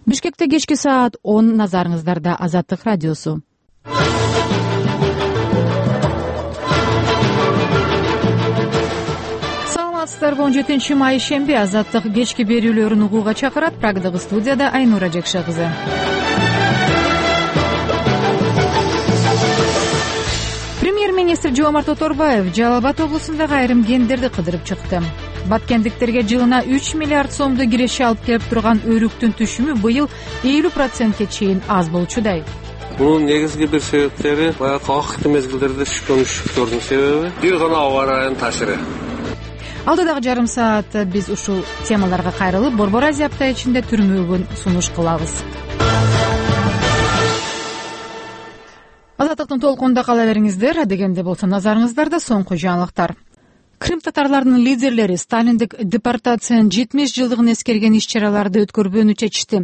Бишкекте кечки саат 10, назарыңыздарда Азаттык радиосу. Саламатсыздарбы? 17-май шемби Азаттык кечки берүүлөрүн угууга чакырат. Прагдагы студияда Айнура Жекше кызы. Премьер-министр Жомарт Оторбаев Жалал Абад облусундагы айрым кендерди кыдырып чыкты. Баткендиктерге жылына 3 миллиард сомду киреше алып келип турган өрүктүн түшүмү быйыл 50%ке чейин аз болчудай. Мунун негизги бир себептери баягы акыркы мезгилдерде түшкөн үшүктөрдүн себеби, бир гана аба ырайынын таасири. Алдыдагы жарым саат биз ушул темаларга кайрылып, Борбор Азия апта ичинде түрмөгүн сунуш кылабыз. Азаттыктын толкунунда кала бериңиздер. Дегенде болсо назарыңыздарда соңку жаңылыктар. Крым татарларынын лидерлери Сталиндик депортациянын 70 жылдыгын эскерген иш-чараларды өткөрбөөнү чечишти.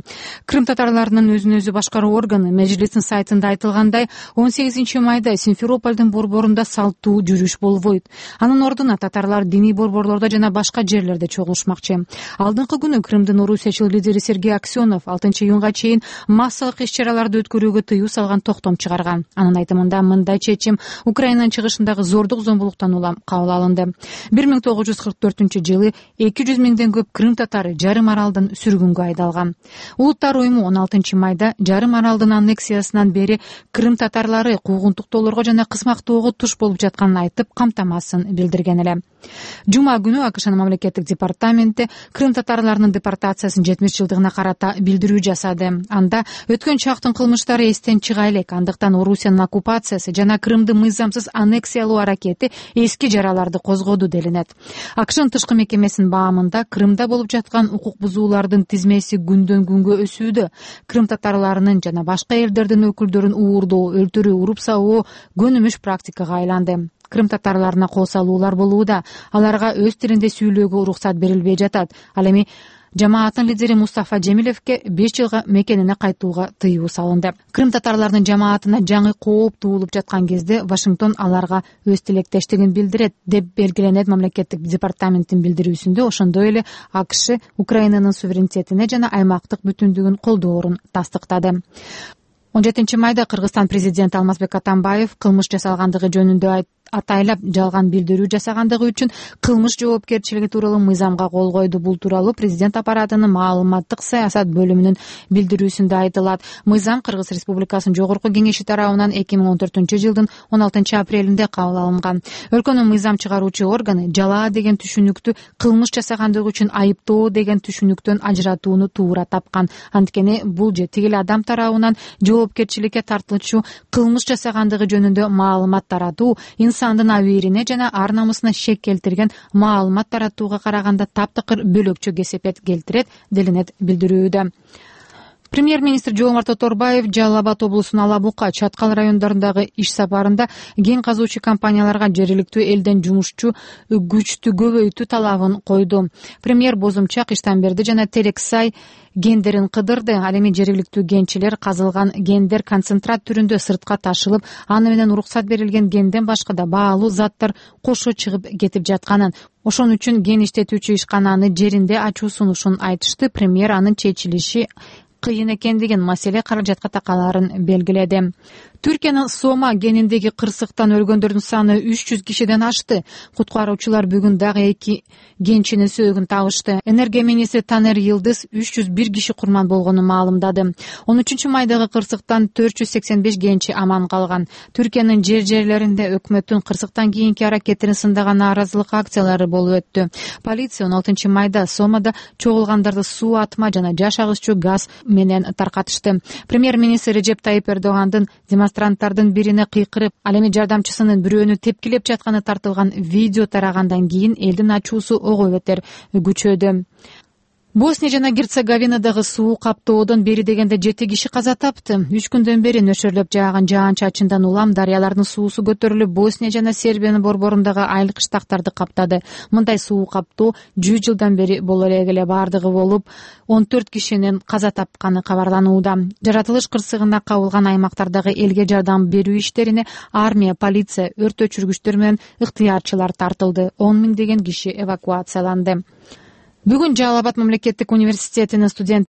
Крым татарларынын өзүн өзү башкаруу органы Мejlisin сайтында айтылгандай, 18 майда Симферополдун борборунда салттуу жүрүш болбойт. Анын ордуна татарлар диний борборлордо жана башка жерлерде чогулушмакчы. Алдыңкы күнү Крымдын орусиячыл лидери Сергей Аксенов 6-июнга чейин массалык иш-чараларды өткөрүүгө тыюу салган токтом чыгарган. Анын айтымында мындай чечим Украинанын чыгышындагы зордук зомбулуктан улам кабыл алынды. 1944-жылы 200 миңден көп Крым татары жарым аралдын сүргүнгө айдалган. Улуттар уюму 16 майда жарым аралдын аннексиясынан бери Крым татарлары куугунтуктоолорго жана кысмактоого туш болуп жатканын айтып, камтамасын билдирген эле. Жума күнү АКШнын мамлекеттик департаменти Крым татарларынын депортациясынын 70 жылдыгына карата билдирүү жасады. Анда өткөн чактын кылмыштары эстен чыга элек, андыктан Орусиянын оккупациясы жана Крымды мыйзамсыз аннексиялоо аракети эски жараларды козгоду делинет. АКШнын тышкы мекемесинин баамында Крымда болуп жаткан укук бузуулардын тизмеси күндөн күнгө өсүүдө. Крым татарларынын жана башка элдердин өкүлдөрүн уурдоо, өлтүрүү, уруп сабоо көнүмүш практикага айланды. Крым татарларына кол салуулар болууда. Аларга өз тилинде сүйлөөгө уруксат берилбей жатат. Ал эми жамааттын лидери Мустафа Жемилевке 5 жылга мекенине кайтууга тыюу салынды. Крым татарларынын жамаатына жаңы кооп туулуп жаткан кезде Вашингтон аларга өз тилектештигин билдирет деп белгиленет мамлекеттик департаменттин билдирүүсүндө. Ошондой эле АКШ Украинанын суверенитетине жана аймактык бүтүндүгүн колдоорун тастыктады. 17 майда Кыргызстан президенти Алмазбек Атамбаев кылмыш жасалгандыгы жөнүндө атайлап жалган билдирүү жасагандыгы үчүн кылмыш жоопкерчилиги тууралуу мыйзамга кол койду. Бул тууралуу президент аппаратынын маалыматтык саясат бөлүмүнүн билдирүүсүндө айтылат. Мыйзам Кыргыз Республикасынын Жогорку Кеңеши тарабынан 2014-жылдын 16-апрелинде кабыл алынган. Өлкөнүн мыйзам чыгаруучу органы жалаа деген түшүнүктү кылмыш жасагандыгы үчүн айыптоо деген түшүнүктөн ажыратууну туура тапкан. Анткени бул же тигил адам тарабынан жоопкерчиликке тартылчу кылмыш жасагандыгы жөнүндө маалымат таратуу инсандын абийирине жана ар намысына шек келтирген маалымат таратууга караганда таптакыр бөлөкчө кесепет келтирет, делинет билдирүүдө. Премьер-министр Жомарт Оторбаев Жалал Абад облусунун Ала Бука, Чаткал райондорундагы иш сапарында кен казуучу компанияларга жергиликтүү элден жумушчу күчтү көбөйтүү талабын койду. Премьер Бозумчак, Иштанберди жана Терексай кендерин кыдырды. Ал эми жергиликтүү кенчилер казылган кендер концентрат түрүндө сыртка ташылып, аны менен уруксат берилген кенден башка да баалуу заттар кошо чыгып кетип жатканын, ошон үчүн кен иштетүүчү ишкананы жеринде ачуу сунушун айтышты. Премьер анын чечилиши кыйын экендигин, маселе каражатка такалаарын белгиледи. Түркиянын Сома кениндеги кырсыктан өлгөндөрдүн саны 300 кишиден ашты. Куткаруучулар бүгүн дагы 2 кенчинин сөөгүн табышты. Энергия министри Танер Йылдыз 301 киши курман болгонун маалымдады. 13 майдагы кырсыктан 485 кенчи аман калган. Түркиянын жерлеринде өкмөттүн кырсыктан кийинки аракеттерин сындаган нааразылык акциялары болуп өттү. Полиция 16 майда Сомада чогулгандарды суу атма жана жаш агысчу газ менен таркатышты. Премьер-министр Режеп Тайип Эрдогандын демонстранттардын бирине кыйкырып, ал эми жардамчысынын бирөөнү тепкилеп жатканы тартылган видео тарагандан кийин элдин ачуусу ого бетер күчөдү. Босния жана Герцеговинадагы суу каптоодон бери дегенде 7 киши каза тапты. 3 күндөн бери нөшөрлөп жааган жаан-чачындан улам дарыялардын суусу көтөрүлүп, Босния жана Сербиянын борборундагы айыл кыштактарды каптады. Мындай суу каптоо 100 жылдан бери боло эле бардыгы болуп, 14 кишинин каза тапканы кабарланууда. Жаратылыш кырсыгына кабылган аймактардагы элге жардам берүү иштерине армия, полиция, өрт өчүргүчтөр менен ыктыярчылар тартылды. 10 миңдеген киши эвакуацияланды. Бүгүн Жалал Абад мамлекеттик университетинин студенттери